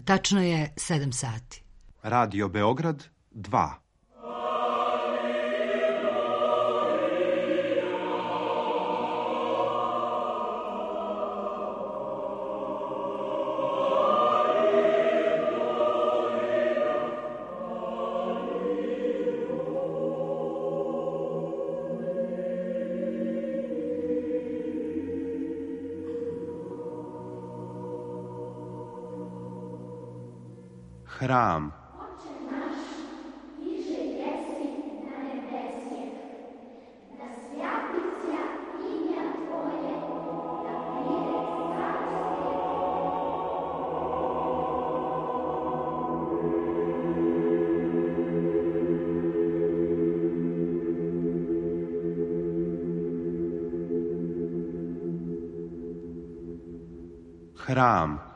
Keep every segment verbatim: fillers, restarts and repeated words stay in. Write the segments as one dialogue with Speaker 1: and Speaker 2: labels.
Speaker 1: Tačno je sedam sati.
Speaker 2: Radio Beograd dva. Hram. Hram.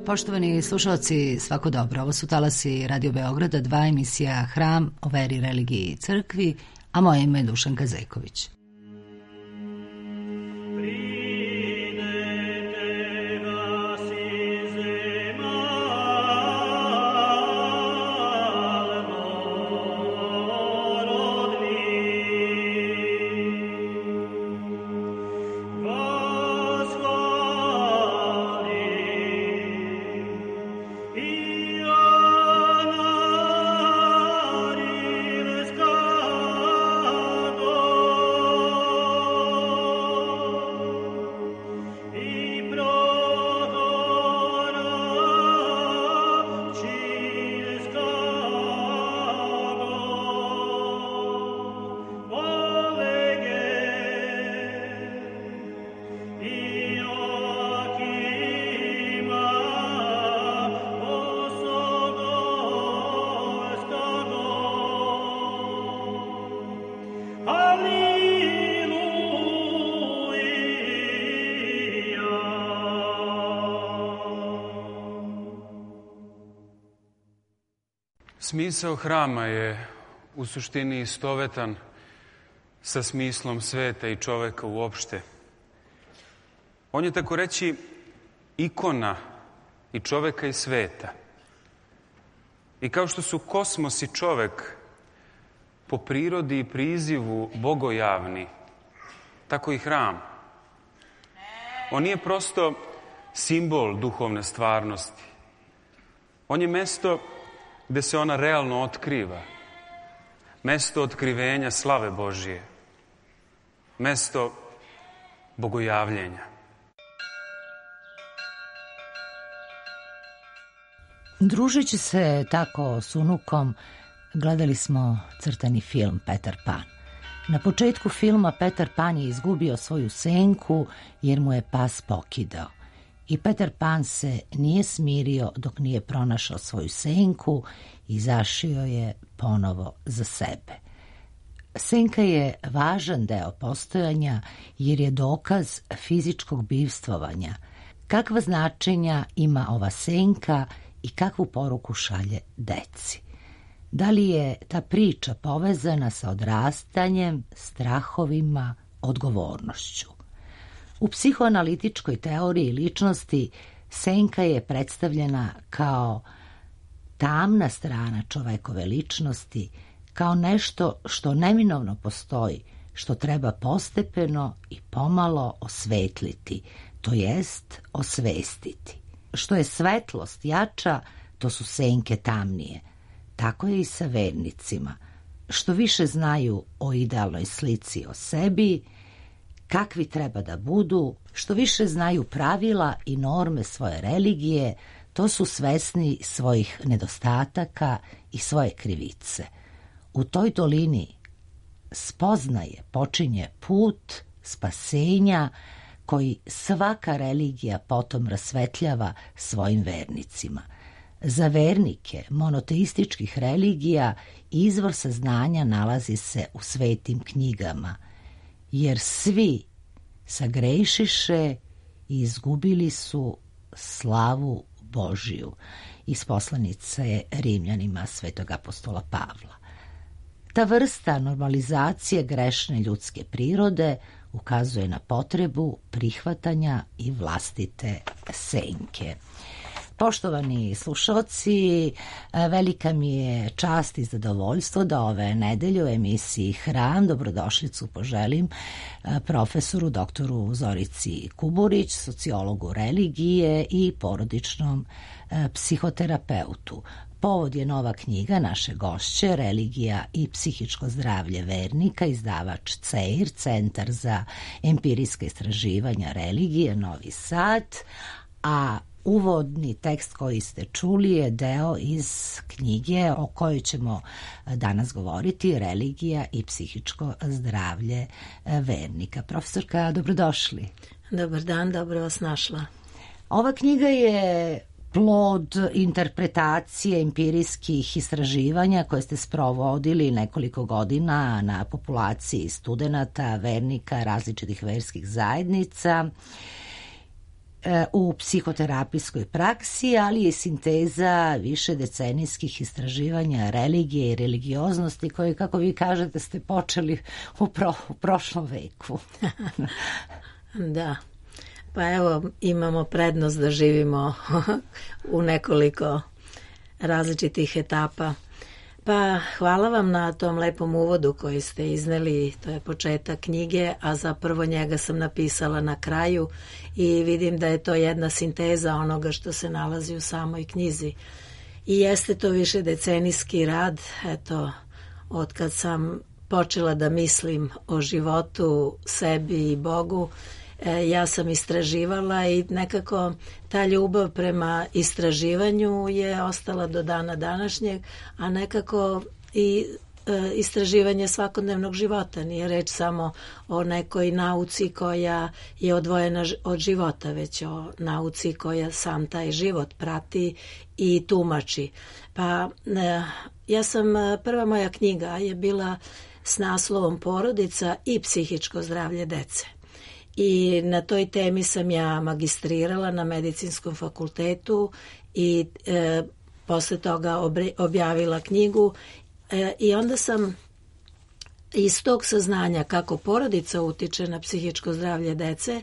Speaker 1: Poštovani slušalci, svako dobro. Ovo su talasi Radio Beograda, dva, emisija Hram o veri, religiji i crkvi, a moje ime je Dušanka Zeković.
Speaker 3: Smisao hrama je u suštini istovetan sa smislom sveta i čoveka uopšte. On je, tako reći, ikona i čoveka i sveta. I kao što su kosmos i čovek po prirodi i prizivu bogojavni, tako i hram. On nije prosto simbol duhovne stvarnosti. On je mesto gde se ona realno otkriva. Mesto otkrivenja slave Božije. Mesto bogojavljenja.
Speaker 1: Družeći se tako s unukom, gledali smo crtani film Petar Pan. Na početku filma Petar Pan je izgubio svoju senku jer mu je pas pokidao. I Petar Pan se nije smirio dok nije pronašao svoju senku i zašio je ponovo za sebe. Senka je važan deo postojanja jer je dokaz fizičkog bivstvovanja. Kakva značenja ima ova senka i kakvu poruku šalje deci? Da li je ta priča povezana sa odrastanjem, strahovima, odgovornošću? U psihoanalitičkoj teoriji ličnosti senka je predstavljena kao tamna strana čovekove ličnosti, kao nešto što neminovno postoji, što treba postepeno i pomalo osvetliti, to jest osvestiti. Što je svetlost jača, to su senke tamnije. Tako je i sa vernicima. Što više znaju o idealnoj slici o sebi, kakvi treba da budu, što više znaju pravila i norme svoje religije, to su svesni svojih nedostataka i svoje krivice. U toj dolini spoznaje počinje put spasenja koji svaka religija potom rasvetljava svojim vernicima. Za vernike monoteističkih religija izvor saznanja nalazi se u svetim knjigama, jer svi sagrešiše i izgubili su slavu Božiju, iz poslanice Rimljanima svetog apostola Pavla. Ta vrsta normalizacije grešne ljudske prirode ukazuje na potrebu prihvatanja i vlastite senke. Poštovani slušalci, velika mi je čast i zadovoljstvo da ove nedelje u emisiji Hram dobrodošlicu poželim profesoru doktoru Zorici Kuburić, sociologu religije i porodičnom psihoterapeutu. Povod je nova knjiga naše gošće, Religija i psihičko zdravlje vernika, izdavač C E I R, Centar za empirijska istraživanja religije, Novi Sad, a uvodni tekst koji ste čuli je deo iz knjige o kojoj ćemo danas govoriti, Religija i psihičko zdravlje vernika. Profesorka, dobrodošli.
Speaker 4: Dobar dan, dobro vas našla.
Speaker 1: Ova knjiga je plod interpretacije empirijskih istraživanja koje ste sprovodili nekoliko godina na populaciji studenata, vernika, različitih verskih zajednica u psihoterapijskoj praksi, ali je sinteza više decenijskih istraživanja religije i religioznosti koje, kako vi kažete, ste počeli u, pro, u prošlom veku.
Speaker 4: Da. Pa evo, imamo prednost da živimo u nekoliko različitih etapa. Pa hvala vam na tom lepom uvodu koji ste izneli, to je početak knjige, a zapravo njega sam napisala na kraju i vidim da je to jedna sinteza onoga što se nalazi u samoj knjizi. I jeste to više decenijski rad, eto, od kad sam počela da mislim o životu, sebi i Bogu, ja sam istraživala i nekako ta ljubav prema istraživanju je ostala do dana današnjeg, a nekako i e, istraživanje svakodnevnog života. Nije reč samo o nekoj nauci koja je odvojena od života, već o nauci koja sam taj život prati i tumači. Pa e, ja sam, prva moja knjiga je bila s naslovom Porodica i psihičko zdravlje dece. I na toj temi sam ja magistrirala na Medicinskom fakultetu i e, posle toga obre, objavila knjigu e, i onda sam iz tog saznanja kako porodica utiče na psihičko zdravlje dece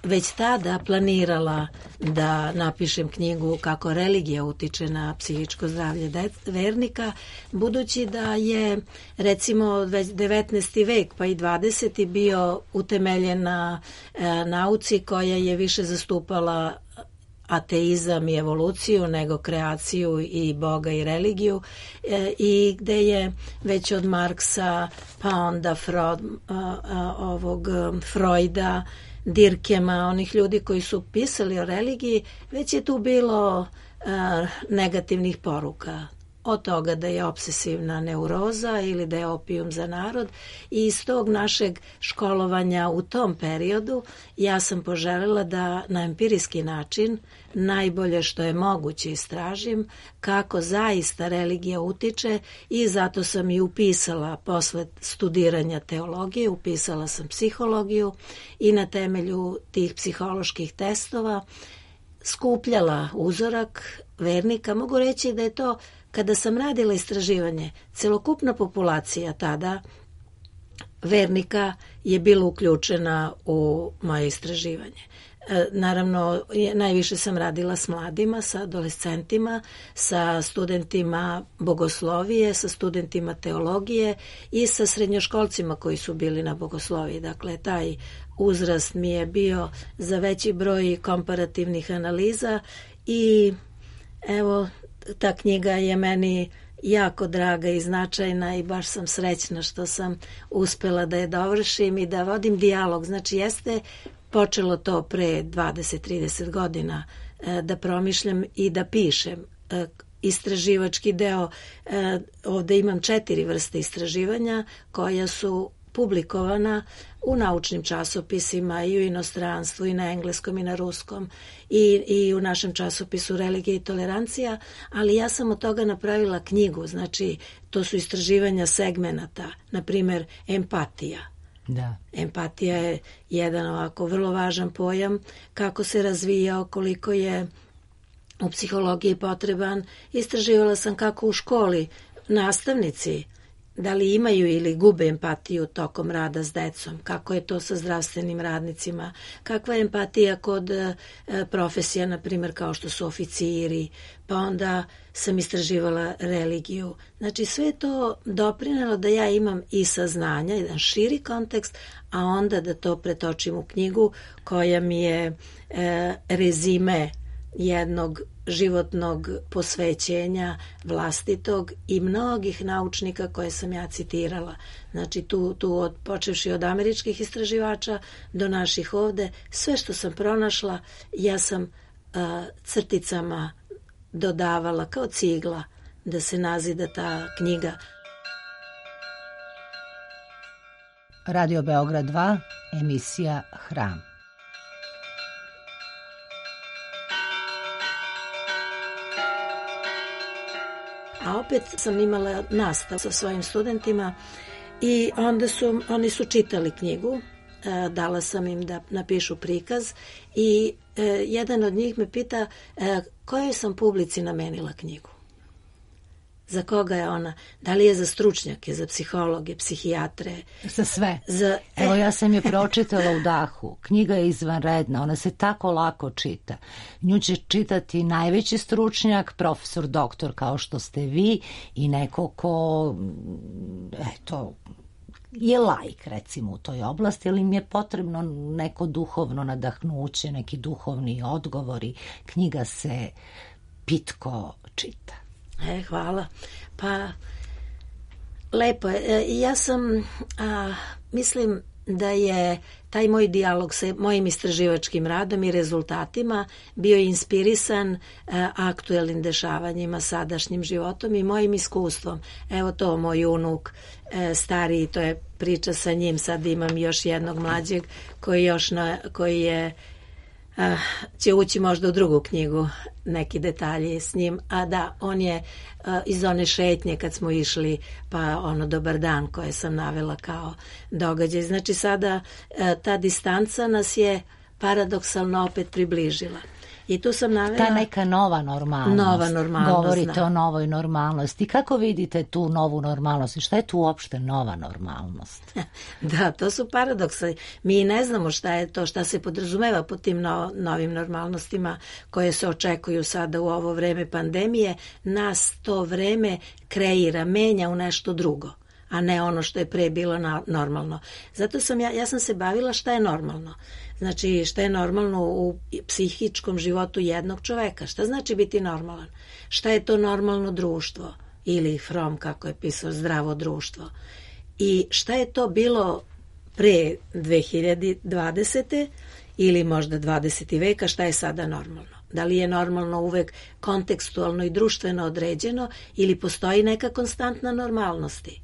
Speaker 4: već tada planirala da napišem knjigu kako religija utiče na psihičko zdravlje dec, vernika, budući da je recimo već devetnaesti vek pa i dvadeseti bio utemeljen na e, nauci koja je više zastupala ateizam i evoluciju nego kreaciju i Boga i religiju e, i gde je već od Marksa pa onda Freud, a, a, ovog Freuda, Dirkema, onih ljudi koji su pisali o religiji, već je tu bilo a, negativnih poruka. Od toga da je obsesivna neuroza ili da je opijum za narod i iz tog našeg školovanja u tom periodu ja sam poželjela da na empirijski način najbolje što je moguće istražim kako zaista religija utiče i zato sam i upisala posle studiranja teologije, upisala sam psihologiju i na temelju tih psiholoških testova skupljala uzorak vernika. Mogu reći da je to, kada sam radila istraživanje, celokupna populacija tada vernika je bila uključena u moje istraživanje. E, naravno, najviše sam radila s mladima, sa adolescentima, sa studentima bogoslovije, sa studentima teologije i sa srednjoškolcima koji su bili na bogosloviji. Dakle, taj uzrast mi je bio za veći broj komparativnih analiza i evo, ta knjiga je meni jako draga i značajna i baš sam srećna što sam uspela da je dovršim i da vodim dijalog. Znači jeste počelo to pre dvadeset trideset godina da promišljam i da pišem. Istraživački deo, ovde imam četiri vrste istraživanja koja su publikovana u naučnim časopisima i u inostranstvu i na engleskom i na ruskom i, i u našem časopisu Religija i tolerancija, ali ja sam od toga napravila knjigu, znači to su istraživanja segmenata, na primer empatija.
Speaker 1: Da.
Speaker 4: Empatija je jedan ovako vrlo važan pojam, kako se razvijao, koliko je u psihologiji potreban. Istraživala sam kako u školi nastavnici da li imaju ili gube empatiju tokom rada s decom, kako je to sa zdravstvenim radnicima, kakva je empatija kod e, profesija, na primjer kao što su oficiri, pa onda sam istraživala religiju. Znači sve je to doprinelo da ja imam i saznanja, jedan širi kontekst, a onda da to pretočim u knjigu koja mi je e, rezime jednog životnog posvećenja vlastitog i mnogih naučnika koje sam ja citirala. Znači tu, tu od, počevši od američkih istraživača do naših ovde, sve što sam pronašla ja sam uh, crticama dodavala kao cigla da se nazida ta knjiga.
Speaker 1: Radio Beograd dva, emisija Hram.
Speaker 4: A opet sam imala nastavu sa svojim studentima i onda su, oni su čitali knjigu, e, dala sam im da napišu prikaz i e, jedan od njih me pita e, kojoj sam publici namenila knjigu. Za koga je ona? Da li je za stručnjake, za psihologe, psihijatre?
Speaker 1: Za sve.
Speaker 4: Za...
Speaker 1: Evo ja sam je pročitala u dahu. Knjiga je izvanredna, ona se tako lako čita. Nju će čitati najveći stručnjak, profesor, doktor kao što ste vi i neko ko, eto, je laik recimo u toj oblasti, ali im je potrebno neko duhovno nadahnuće, neki duhovni odgovori. Knjiga se pitko čita.
Speaker 4: E, hvala. Pa, lepo je. E, ja sam, a, mislim da je taj moj dijalog sa mojim istraživačkim radom i rezultatima bio inspirisan a, aktuelnim dešavanjima, sadašnjim životom i mojim iskustvom. Evo to, moj unuk e, stariji, to je priča sa njim, sad imam još jednog mlađeg koji, još na, koji je Uh, će ući možda u drugu knjigu neki detalji s njim, a da, on je uh, iz one šetnje kad smo išli, pa ono dobar dan koje sam navela kao događaj. Znači sada uh, ta distanca nas je paradoksalno opet približila. I tu sam navela...
Speaker 1: Ta neka nova normalnost.
Speaker 4: Nova normalnost,
Speaker 1: Govorite
Speaker 4: da.
Speaker 1: o novoj normalnosti. Kako vidite tu novu normalnost? I šta je tu uopšte nova normalnost?
Speaker 4: Da, to su paradoksi. Mi ne znamo šta je to, šta se podrazumeva pod tim no, novim normalnostima koje se očekuju sada u ovo vreme pandemije. Nas to vreme kreira, menja u nešto drugo, a ne ono što je pre bilo na, normalno. Zato sam ja, ja sam se bavila šta je normalno. Znači, šta je normalno u psihičkom životu jednog čoveka? Šta znači biti normalan? Šta je to normalno društvo? Ili Fromm, kako je pisao, zdravo društvo. I šta je to bilo pre dve hiljade dvadesete ili možda dvadesetog veka, šta je sada normalno? Da li je normalno uvek kontekstualno i društveno određeno ili postoji neka konstantna normalnosti?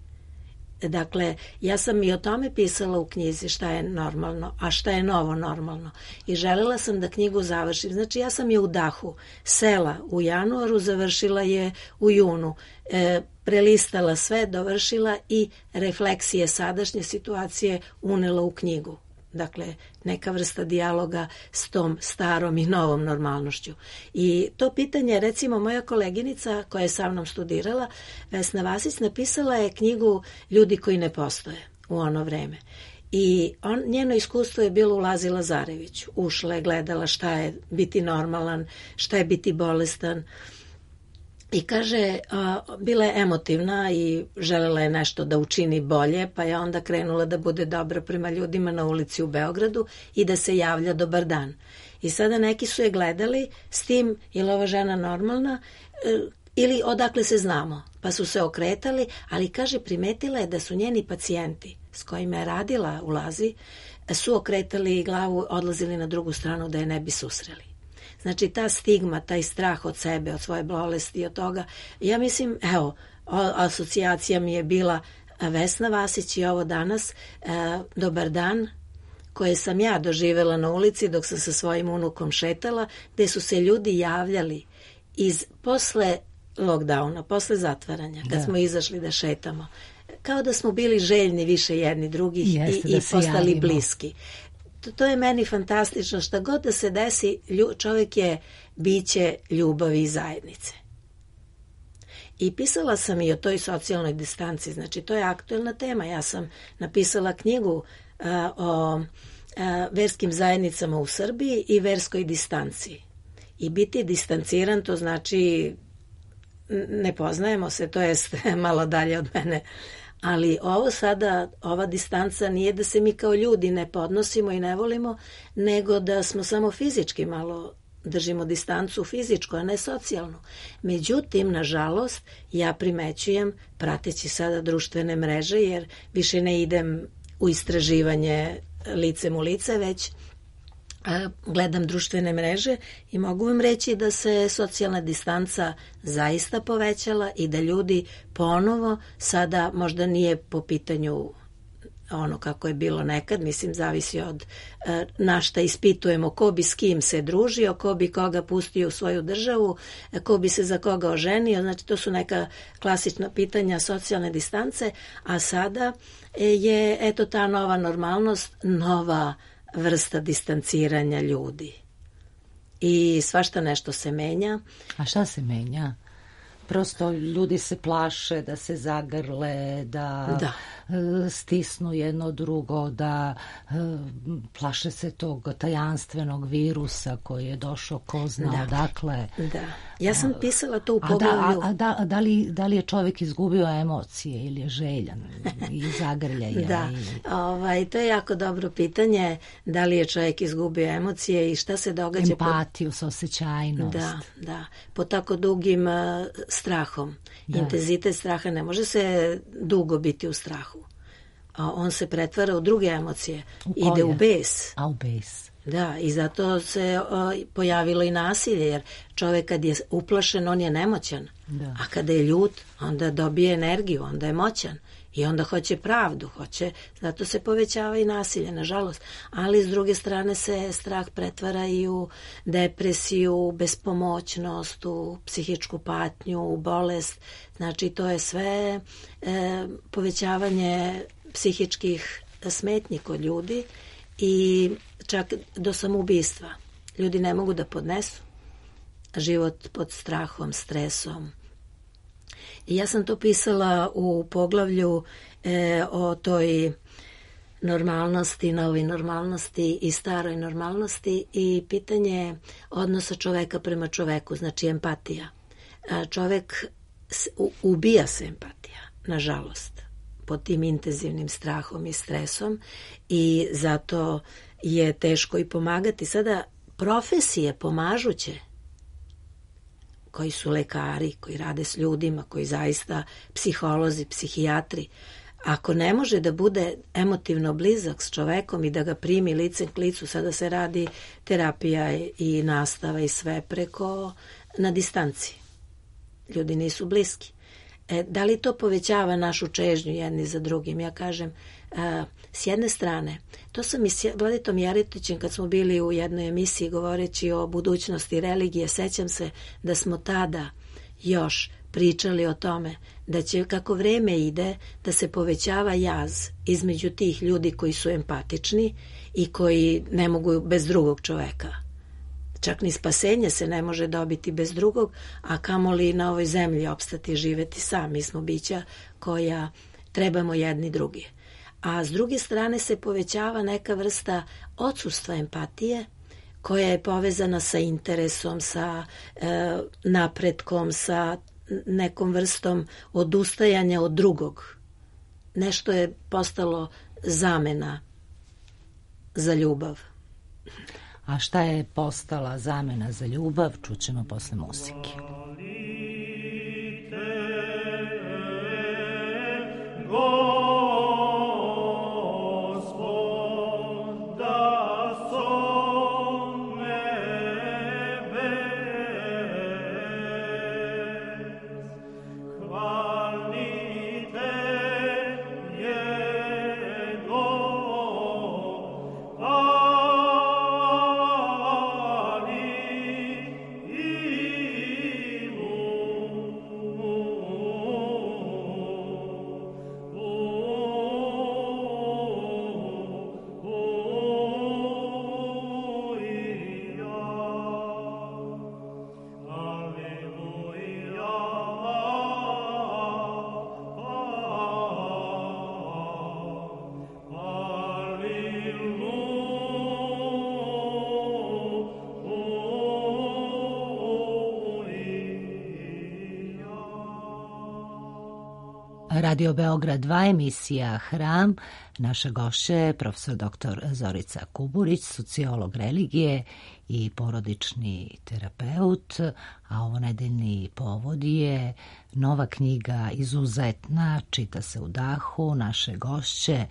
Speaker 4: Dakle, ja sam i o tome pisala u knjizi šta je normalno, a šta je novo normalno. I želela sam da knjigu završim. Znači, ja sam je u dahu sela u januaru, završila je u junu. E, prelistala sve, dovršila i refleksije sadašnje situacije unela u knjigu. Dakle, neka vrsta dijaloga s tom starom i novom normalnošću. I to pitanje, recimo, moja koleginica koja je sa mnom studirala, Vesna Vasić, napisala je knjigu Ljudi koji ne postoje u ono vreme. I on, njeno iskustvo je bilo u Lazi Lazareviću. Ušla je, gledala šta je biti normalan, šta je biti bolestan. I kaže, a, bila je emotivna i želela je nešto da učini bolje, pa je onda krenula da bude dobra prema ljudima na ulici u Beogradu i da se javlja dobar dan. I sada neki su je gledali s tim, je li ova žena normalna, e, ili odakle se znamo, pa su se okretali, ali kaže, primetila je da su njeni pacijenti s kojima je radila u Lazi, su okretali glavu, odlazili na drugu stranu da je ne bi susreli. Znači, ta stigma, taj strah od sebe, od svoje bolesti, od toga, ja mislim, evo, asocijacija mi je bila Vesna Vasić i ovo danas, e, dobar dan, koje sam ja doživjela na ulici dok sam sa svojim unukom šetala, gde su se ljudi javljali iz posle lockdowna, posle zatvaranja, kad da. smo izašli da šetamo, kao da smo bili željni više jedni drugih Jeste, i, i postali javimo. bliski. To, to je meni fantastično, šta god da se desi, lju, čovjek je biće ljubavi i zajednice. I pisala sam i o toj socijalnoj distanci, znači to je aktuelna tema. Ja sam napisala knjigu a, o a, verskim zajednicama u Srbiji i verskoj distanci. I biti distanciran, to znači ne poznajemo se, to jest malo dalje od mene. Ali ovo sada, ova distanca nije da se mi kao ljudi ne podnosimo i ne volimo, nego da smo samo fizički malo držimo distancu fizičku, a ne socijalnu. Međutim, nažalost, ja primećujem, prateći sada društvene mreže, jer više ne idem u istraživanje licem u lice, već a, gledam društvene mreže i mogu vam reći da se socijalna distanca zaista povećala i da ljudi ponovo sada možda nije po pitanju ono kako je bilo nekad, mislim zavisi od e, na šta ispitujemo, ko bi s kim se družio, ko bi koga pustio u svoju državu, ko bi se za koga oženio, znači to su neka klasična pitanja socijalne distance, a sada je eto ta nova normalnost, nova vrsta distanciranja ljudi. I svašta nešto se menja.
Speaker 1: A šta se menja? Prosto ljudi se plaše da se zagrle, da, da. stisnu jedno drugo, da plaše se tog tajanstvenog virusa koji je došao ko zna da. odakle.
Speaker 4: Da. Ja sam pisala to u
Speaker 1: a
Speaker 4: poglavlju.
Speaker 1: Da, a, a da, da, li, da li je čovjek izgubio emocije ili je željan i zagrljaja?
Speaker 4: Da, i... ovaj, to je jako dobro pitanje, da li je čovjek izgubio emocije i šta se događa.
Speaker 1: Empatiju, pod... saosećajnost.
Speaker 4: Da, da. Po tako dugim uh, strahom. Da. Intenzitet straha ne može se dugo biti u strahu. A on se pretvara u druge emocije.
Speaker 1: U
Speaker 4: Ide u bes.
Speaker 1: A u bes.
Speaker 4: Da, i zato se o, pojavilo i nasilje, jer čovjek kad je uplašen, on je nemoćan. Da. A kada je ljut, onda dobije energiju, onda je moćan. I onda hoće pravdu, hoće, zato se povećava i nasilje, nažalost. Ali s druge strane se strah pretvara i u depresiju, u bespomoćnost, u psihičku patnju, u bolest. Znači to je sve e, povećavanje psihičkih smetnji kod ljudi i čak do samoubistva. Ljudi ne mogu da podnesu život pod strahom, stresom. I ja sam to pisala u poglavlju e, o toj normalnosti, novoj normalnosti i staroj normalnosti i pitanje odnosa čoveka prema čoveku, znači empatija. A čovek, ubija se empatija, nažalost, pod tim intenzivnim strahom i stresom i zato je teško i pomagati. Sada profesije pomažuće, koji su lekari, koji rade s ljudima, koji zaista psiholozi, psihijatri, ako ne može da bude emotivno blizak s čovekom i da ga primi licem k licu, sada se radi terapija i nastava i sve preko na distanci. Ljudi nisu bliski. E, da li to povećava našu čežnju jedni za drugim? Ja kažem, a, s jedne strane, to sam i s Vladitom Jaretićem kad smo bili u jednoj emisiji govoreći o budućnosti religije, sećam se da smo tada još pričali o tome da će kako vreme ide da se povećava jaz između tih ljudi koji su empatični i koji ne mogu bez drugog čoveka. Čak ni spasenje se ne može dobiti bez drugog, a kamoli na ovoj zemlji opstati živeti sam. Mi smo bića koja trebamo jedni drugi. A s druge strane se povećava neka vrsta odsustva empatije koja je povezana sa interesom, sa e, napretkom, sa nekom vrstom odustajanja od drugog. Nešto je postalo zamena za ljubav.
Speaker 1: A šta je postala zamena za ljubav, čućemo posle muzike. Radio Beograd dva, emisija Hram. Naša gošća je profesor doktor Zorica Kuburić, sociolog religije i porodični terapeut, a ovo nedeljni povod je nova knjiga izuzetna, čita se u dahu, naše gošće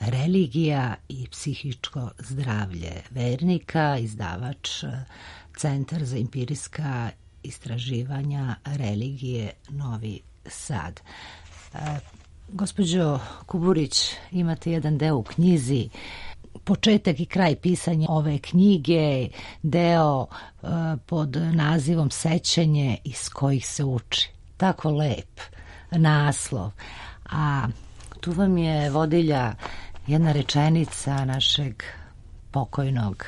Speaker 1: Religija i psihičko zdravlje vernika, izdavač Centar za empirijska istraživanja religije Novi Sad. E, gospođo Kuburić, imate jedan deo u knjizi, početak i kraj pisanja ove knjige, deo e, pod nazivom Sećanje iz kojih se uči. Tako lep naslov. A tu vam je vodilja jedna rečenica našeg pokojnog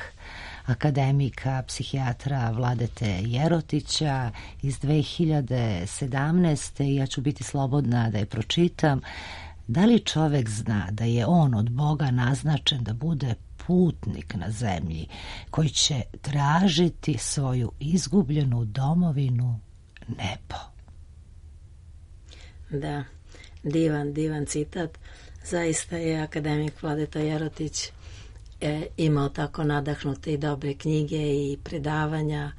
Speaker 1: akademika, psihijatra Vladete Jerotića iz dve hiljade sedamnaeste. i ja ću biti slobodna da je pročitam. Da li čovek zna da je on od Boga naznačen da bude putnik na zemlji koji će tražiti svoju izgubljenu domovinu, nebo?
Speaker 4: Da, divan, divan citat. Zaista je akademik Vladeta Jerotić E, imao tako nadahnute i dobre knjige i predavanja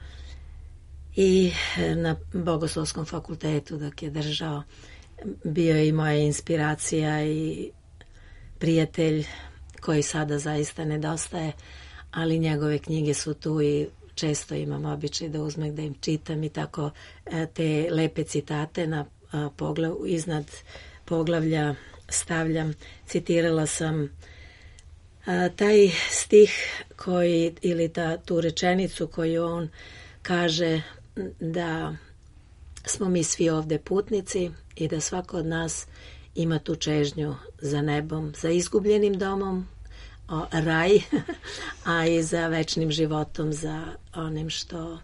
Speaker 4: i na Bogoslovskom fakultetu dok je držao bio je i moja inspiracija i prijatelj koji sada zaista nedostaje, ali njegove knjige su tu i često imam običaj da uzmem da im čitam i tako e, te lepe citate na a, poglav, iznad poglavlja stavljam. Citirala sam A, taj stih koji, ili ta, tu rečenicu koju on kaže da smo mi svi ovde putnici i da svako od nas ima tu čežnju za nebom, za izgubljenim domom, o, raj, a i za večnim životom, za onim što,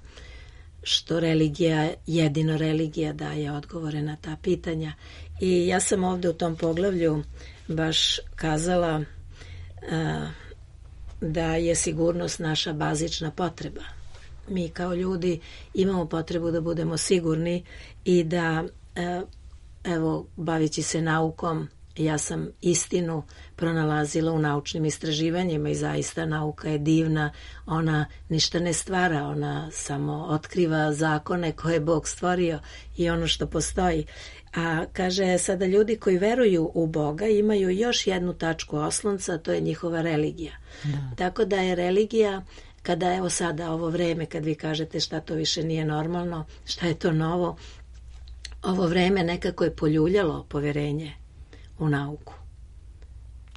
Speaker 4: što religija, jedino religija daje odgovore na ta pitanja. I ja sam ovde u tom poglavlju baš kazala da je sigurnost naša bazična potreba. Mi kao ljudi imamo potrebu da budemo sigurni i da, evo, bavići se naukom, ja sam istinu pronalazila u naučnim istraživanjima i zaista nauka je divna, ona ništa ne stvara, ona samo otkriva zakone koje je Bog stvorio i ono što postoji. A kaže, sada ljudi koji veruju u Boga imaju još jednu tačku oslonca, a to je njihova religija. Da. Tako da je religija, kada evo sada ovo vreme, kad vi kažete šta to više nije normalno, šta je to novo, ovo vreme nekako je poljuljalo poverenje u nauku.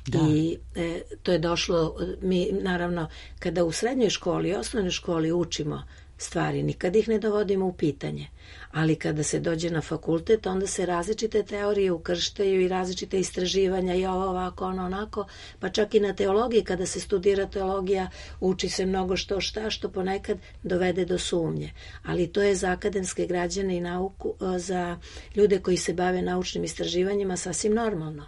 Speaker 4: Da. I e, to je došlo, mi naravno, kada u srednjoj školi, osnovnoj školi učimo stvari, nikad ih ne dovodimo u pitanje. Ali kada se dođe na fakultet, onda se različite teorije ukrštaju i različite istraživanja i ovo ovako, ono onako, pa čak i na teologiji, kada se studira teologija, uči se mnogo što šta, što ponekad dovede do sumnje. Ali to je za akademske građane i nauku, za ljude koji se bave naučnim istraživanjima sasvim normalno.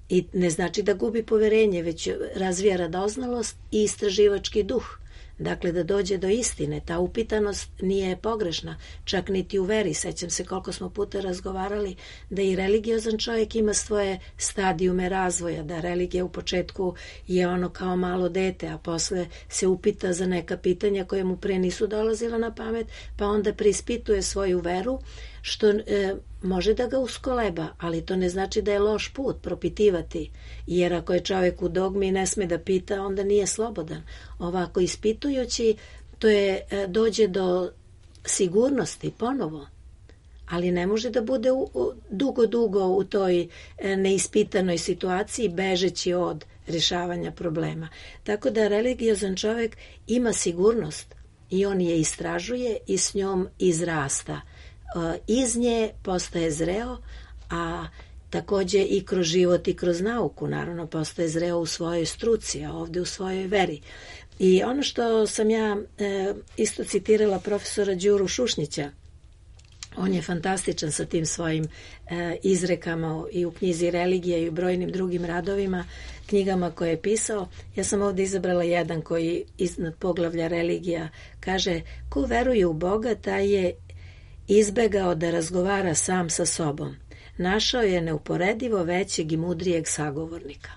Speaker 4: I ne znači da gubi poverenje, već razvija radoznalost i istraživački duh. Dakle, da dođe do istine. Ta upitanost nije pogrešna, čak niti u veri. Sećam se koliko smo puta razgovarali da i religiozan čovjek ima svoje stadijume razvoja, da religija u početku je ono kao malo dete, a posle se upita za neka pitanja koje mu pre nisu dolazila na pamet, pa onda preispituje svoju veru, što e, može da ga uskoleba, ali to ne znači da je loš put propitivati, jer ako je čovjek u dogmi i ne sme da pita, onda nije slobodan. Ovako ispitujući, to je e, dođe do sigurnosti ponovo, ali ne može da bude u, u, dugo, dugo u toj e, neispitanoj situaciji, bežeći od rješavanja problema. Tako da religiozan čovjek ima sigurnost i on je istražuje i s njom izrasta. Iz nje postaje zreo, a također i kroz život i kroz nauku, naravno postaje zreo u svojoj struci, a ovdje u svojoj veri. I ono što sam ja e, isto citirala profesora Đuru Šušnića, on je fantastičan sa tim svojim e, izrekama i u knjizi Religija i u brojnim drugim radovima, knjigama koje je pisao. Ja sam ovdje izabrala jedan koji iznad poglavlja Religija kaže: ko veruje u Boga, taj je izbegao da razgovara sam sa sobom. Našao je neuporedivo većeg i mudrijeg sagovornika.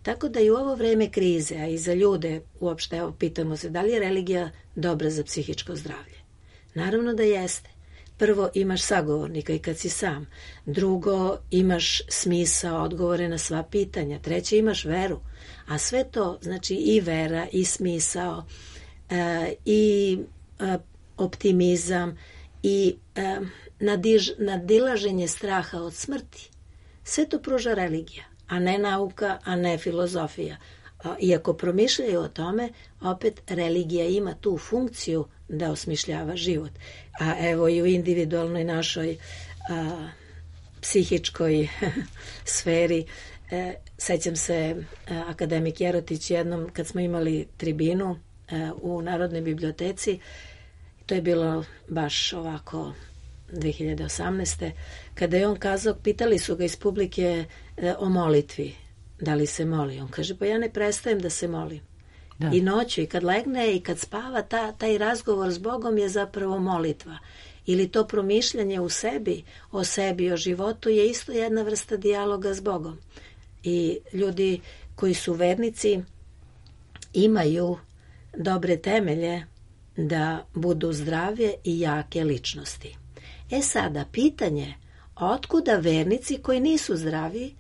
Speaker 4: Tako da i u ovo vreme krize, a i za ljude uopšte, evo, pitamo se da li je religija dobra za psihičko zdravlje. Naravno da jeste. Prvo, imaš sagovornika i kad si sam. Drugo, imaš smisao, odgovore na sva pitanja. Treće, imaš veru. A sve to, znači i vera, i smisao, e, i e, optimizam, i e, nadiž, nadilaženje straha od smrti. Sve to pruža religija, a ne nauka, a ne filozofija. A, iako promišljaju o tome, opet religija ima tu funkciju da osmišljava život. A evo i u individualnoj našoj a, psihičkoj sferi, e, sećam se a, akademik Jerotić jednom kad smo imali tribinu a, u Narodnoj biblioteci, to je bilo baš ovako dve hiljade osamnaeste. Kada je on kazao, pitali su ga iz publike e, o molitvi, da li se moli. On kaže, pa ja ne prestajem da se molim. Da. I noću, i kad legne, i kad spava, ta, taj razgovor s Bogom je zapravo molitva. Ili to promišljanje u sebi, o sebi, o životu je isto jedna vrsta dijaloga s Bogom. I ljudi koji su vernici imaju dobre temelje da budu zdrave i jake ličnosti. E sada, pitanje, otkuda vernici koji nisu zdravi,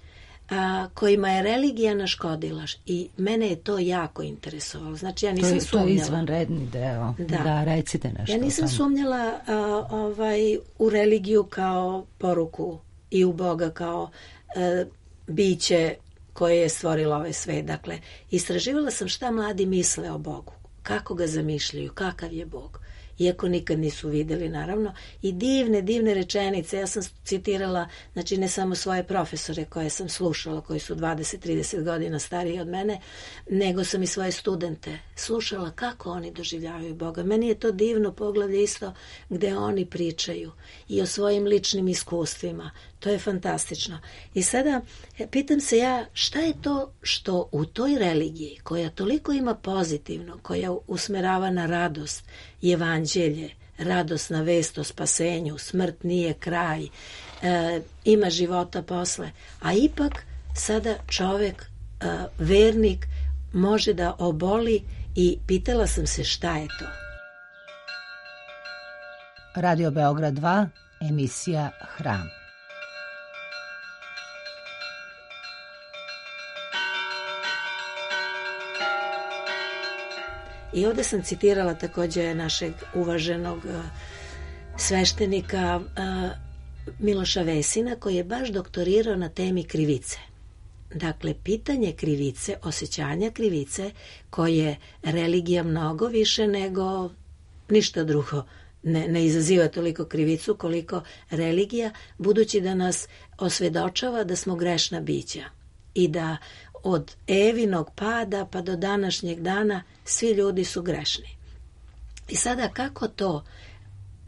Speaker 4: a, kojima je religija naškodila, i mene je to jako interesovalo. Znači, ja nisam
Speaker 1: to je,
Speaker 4: sumnjala.
Speaker 1: To je izvanredni deo. Da, da recite nešto.
Speaker 4: Ja nisam sumnjala a, ovaj, u religiju kao poruku i u Boga kao a, biće koje je stvorilo ovaj svet. Dakle, istraživala sam šta mladi misle o Bogu. Kako ga zamišljaju, kakav je Bog. Iako nikad nisu vidjeli, naravno. I divne, divne rečenice. Ja sam citirala, znači ne samo svoje profesore koje sam slušala, koji su dvadeset trideset godina stariji od mene, nego sam i svoje studente slušala kako oni doživljavaju Boga. Meni je to divno poglavlje isto gde oni pričaju i o svojim ličnim iskustvima. To je fantastično. I sada pitam se ja, šta je to što u toj religiji, koja toliko ima pozitivno, koja usmerava na radost, evanđelje, radosna vest o spasenju, smrt nije kraj, e, ima života posle, a ipak sada čovek, e, vernik, može da oboli i pitala sam se šta je to.
Speaker 1: Radio Beograd dva, emisija Hram.
Speaker 4: I ovdje sam citirala također našeg uvaženog uh, sveštenika uh, Miloša Vesina, koji je baš doktorirao na temi krivice. Dakle, pitanje krivice, osjećanja krivice, koje religija mnogo više nego ništa drugo ne, ne izaziva toliko krivicu koliko religija, budući da nas osvedočava da smo grešna bića i da od Evinog pada pa do današnjeg dana svi ljudi su grešni. I sada kako to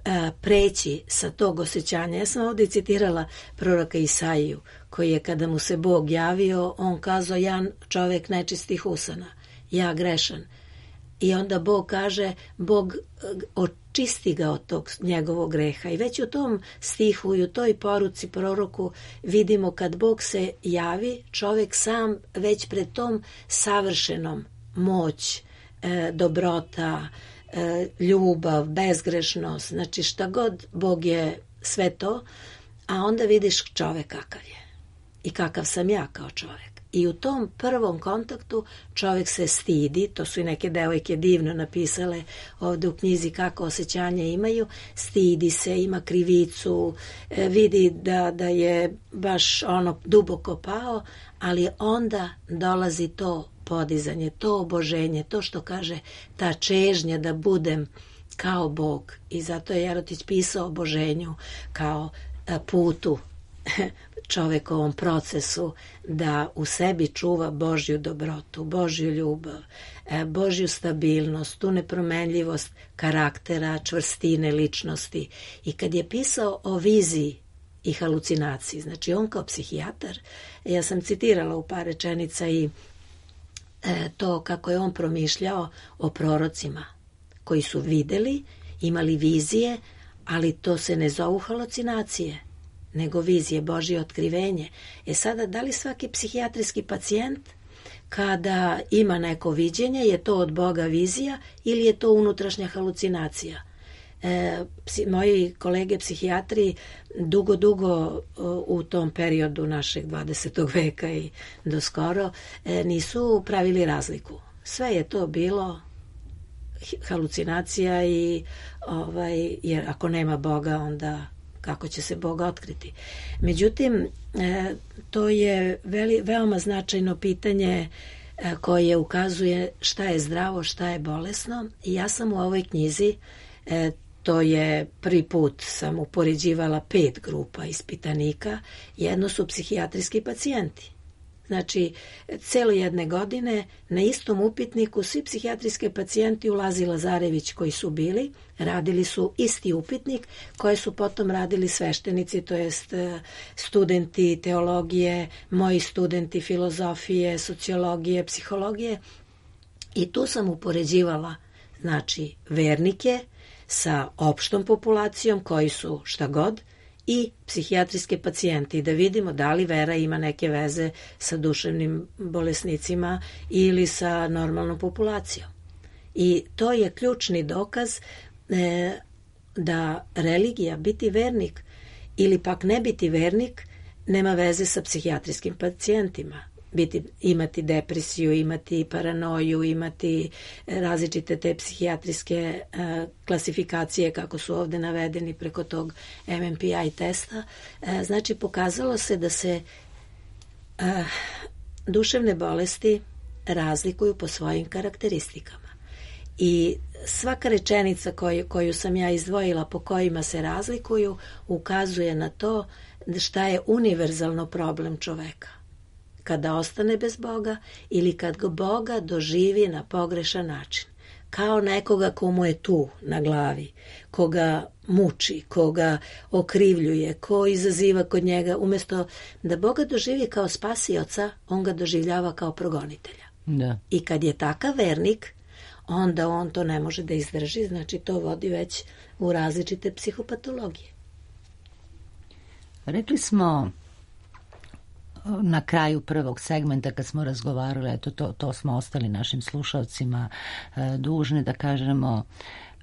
Speaker 4: e, preći sa tog osjećanja? Ja sam ovdje citirala proroka Isaiju, koji je kada mu se Bog javio, on kazao, ja čovjek nečistih usana, ja grešan. I onda Bog kaže, Bog očisti ga od tog njegovog greha. I već u tom stihu i u toj poruci proroku vidimo kad Bog se javi, čovjek sam već pred tom savršenom moć, e, dobrota, e, ljubav, bezgrešnost, znači šta god Bog je sve to, a onda vidiš čovjek kakav je i kakav sam ja kao čovjek. I u tom prvom kontaktu čovjek se stidi, to su i neke devojke divno napisale ovdje u knjizi kako osjećanja imaju, stidi se, ima krivicu, vidi da, da je baš ono duboko pao, ali onda dolazi to podizanje, to oboženje, to što kaže ta čežnja da budem kao Bog. I zato je Jerotić pisao o oboženju kao putu čovekovom procesu da u sebi čuva Božju dobrotu, Božju ljubav, Božju stabilnost, tu nepromenljivost karaktera, čvrstine ličnosti. I kad je pisao o viziji i halucinaciji, znači on kao psihijatar, ja sam citirala u par rečenica i to kako je on promišljao o prorocima koji su videli, imali vizije, ali to se ne zovu halucinacije, nego vizije, Božje otkrivenje. E sada, da li svaki psihijatrijski pacijent kada ima neko viđenje, je to od Boga vizija ili je to unutrašnja halucinacija? E, psi, moji kolege psihijatri dugo, dugo u tom periodu našeg dvadesetog veka i do skoro e, nisu pravili razliku. Sve je to bilo halucinacija i ovaj, jer ako nema Boga, onda kako će se Boga otkriti. Međutim, e, to je veli, veoma značajno pitanje e, koje ukazuje šta je zdravo, šta je bolesno. I ja sam u ovoj knjizi, e, to je prvi put sam upoređivala pet grupa ispitanika, jedno su psihijatrijski pacijenti. Znači, celo jedne godine na istom upitniku svi psihijatrijski pacijenti u Lazi Lazarević koji su bili, radili su isti upitnik koje su potom radili sveštenici, to jest studenti teologije, moji studenti filozofije, sociologije, psihologije. I tu sam upoređivala, znači, vernike sa opštom populacijom koji su šta god, i psihijatrijske pacijente, da vidimo da li vera ima neke veze sa duševnim bolesnicima ili sa normalnom populacijom. I to je ključni dokaz e, da religija, biti vernik ili pak ne biti vernik, nema veze sa psihijatrijskim pacijentima. Biti, imati depresiju, imati paranoju, imati različite te psihijatrijske uh, klasifikacije kako su ovdje navedeni preko tog M M P I testa. Uh, znači, pokazalo se da se uh, duševne bolesti razlikuju po svojim karakteristikama. I svaka rečenica koju, koju sam ja izdvojila po kojima se razlikuju ukazuje na to šta je univerzalno problem čoveka. Kada ostane bez Boga ili kad ga Boga doživi na pogrešan način. Kao nekoga komu je tu na glavi, koga muči, koga okrivljuje, ko izaziva kod njega. Umjesto da Boga doživi kao spasioca, on ga doživljava kao progonitelja.
Speaker 1: Da.
Speaker 4: I kad je takav vernik, onda on to ne može da izdrži, znači to vodi već u različite psihopatologije.
Speaker 1: Rekli smo na kraju prvog segmenta kad smo razgovarali, eto to, to smo ostali našim slušalcima e, dužni da kažemo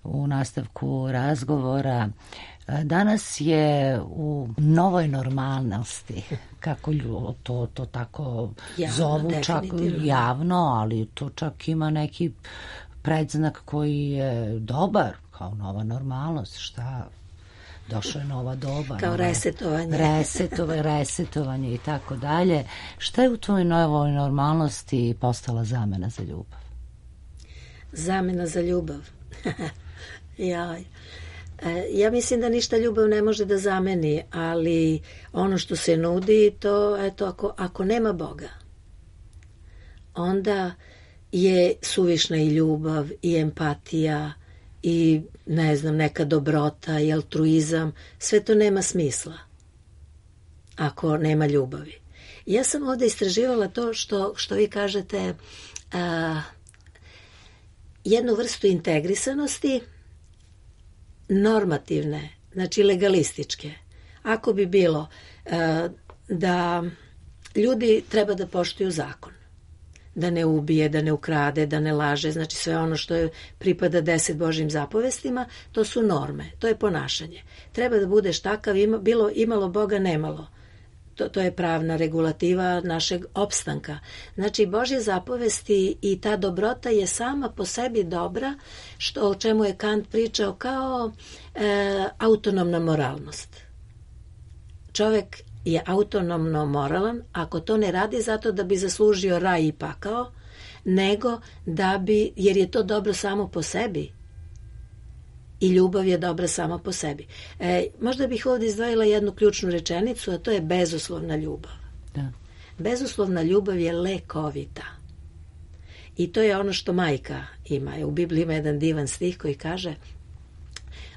Speaker 1: u nastavku razgovora. E, danas je u novoj normalnosti, kako to, to tako javno, zovu, čak javno, ali to čak ima neki predznak koji je dobar, kao nova normalnost, šta... Došla je nova doba.
Speaker 4: Kao nova, resetovanje.
Speaker 1: Resetove, resetovanje i tako dalje. Šta je u tvojoj novoj normalnosti postala zamena za ljubav?
Speaker 4: Zamena za ljubav? ja, ja mislim da ništa ljubav ne može da zameni, ali ono što se nudi, to, eto, ako, ako nema Boga, onda je suvišna i ljubav, i empatija, i ne znam, neka dobrota i altruizam, sve to nema smisla ako nema ljubavi. Ja sam ovdje istraživala to što, što vi kažete, a, jednu vrstu integrisanosti normativne, znači legalističke. Ako bi bilo e, da ljudi treba da poštuju zakon, da ne ubije, da ne ukrade, da ne laže, znači sve ono što je pripada deset Božjim zapovestima, to su norme, to je ponašanje. Treba da budeš takav, ima, bilo imalo Boga, nemalo. To, to je pravna regulativa našeg opstanka. Znači, Božje zapovesti i ta dobrota je sama po sebi dobra, što, o čemu je Kant pričao kao e, autonomna moralnost. Čovek je autonomno moralan ako to ne radi zato da bi zaslužio raj i pakao, nego da bi, jer je to dobro samo po sebi. I ljubav je dobra sama po sebi. E, možda bih ovdje izdvojila jednu ključnu rečenicu, a to je bezuslovna ljubav.
Speaker 1: Da.
Speaker 4: Bezuslovna ljubav je lekovita. I to je ono što majka ima. U Bibliji ima jedan divan stih koji kaže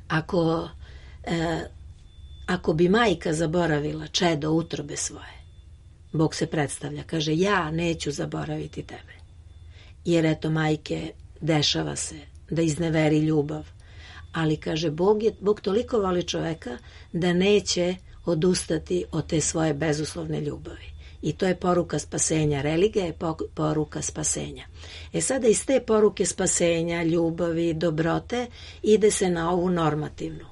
Speaker 4: ako, e, ako bi majka zaboravila čedo utrobe svoje, Bog se predstavlja, kaže ja neću zaboraviti tebe. Jer eto majke, dešava se da izneveri ljubav. Ali, kaže, Bog, je, Bog toliko voli čoveka da neće odustati od te svoje bezuslovne ljubavi. I to je poruka spasenja. Religija je poruka spasenja. E sada iz te poruke spasenja, ljubavi, dobrote ide se na ovu normativnu,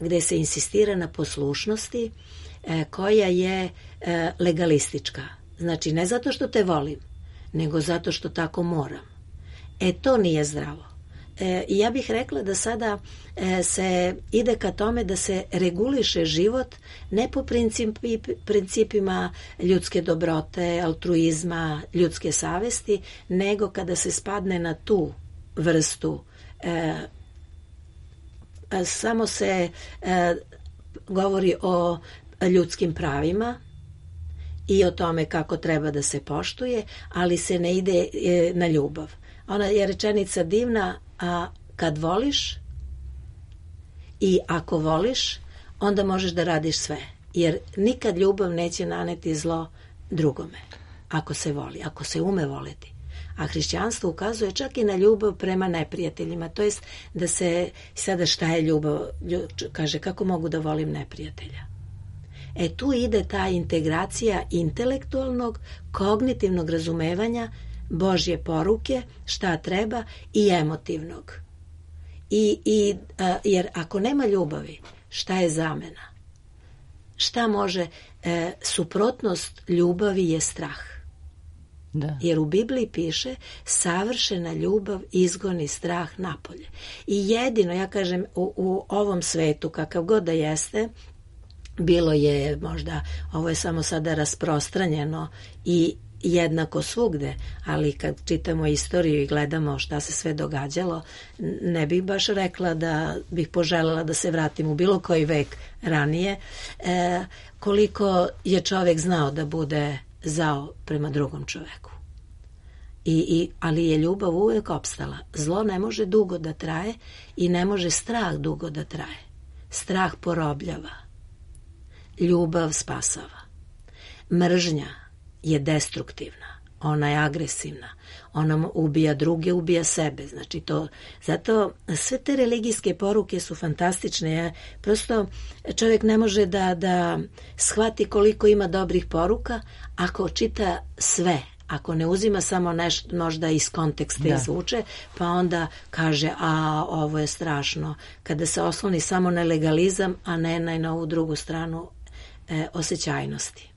Speaker 4: gde se insistira na poslušnosti e, koja je e, legalistička. Znači, ne zato što te volim, nego zato što tako moram. E, to nije zdravo. I ja bih rekla da sada se ide ka tome da se reguliše život ne po principi, principima ljudske dobrote, altruizma, ljudske savesti, nego kada se spadne na tu vrstu. E, samo se e, govori o ljudskim pravima i o tome kako treba da se poštuje, ali se ne ide e, na ljubav. Ona je rečenica divna, a kad voliš i ako voliš, onda možeš da radiš sve. Jer nikad ljubav neće naneti zlo drugome. Ako se voli, ako se ume voliti. A hrišćanstvo ukazuje čak i na ljubav prema neprijateljima. To jest da se, sada šta je ljubav? Kaže, kako mogu da volim neprijatelja? E tu ide ta integracija intelektualnog, kognitivnog razumevanja Božje poruke, šta treba, i emotivnog. I, i, a, jer ako nema ljubavi, šta je zamena? Šta može? E, suprotnost ljubavi je strah.
Speaker 1: Da.
Speaker 4: Jer u Bibliji piše savršena ljubav izgoni strah napolje. I jedino, ja kažem, u, u ovom svetu, kakav god da jeste, bilo je možda, ovo je samo sada rasprostranjeno i jednako svugde, ali kad čitamo istoriju i gledamo šta se sve događalo, ne bih baš rekla da bih poželjela da se vratim u bilo koji vek ranije, e, koliko je čovek znao da bude zao prema drugom čoveku. I, i, ali je ljubav uvek opstala. Zlo ne može dugo da traje i ne može strah dugo da traje. Strah porobljava. Ljubav spasava. Mržnja je destruktivna, ona je agresivna, ona ubija druge, ubija sebe, znači to, zato sve te religijske poruke su fantastične, ja, prosto čovjek ne može da, da shvati koliko ima dobrih poruka ako čita sve, ako ne uzima samo nešto možda iz konteksta da. Izvuče, pa onda kaže, a ovo je strašno, kada se osloni samo na legalizam, a ne na ovu drugu stranu e, osjećajnosti.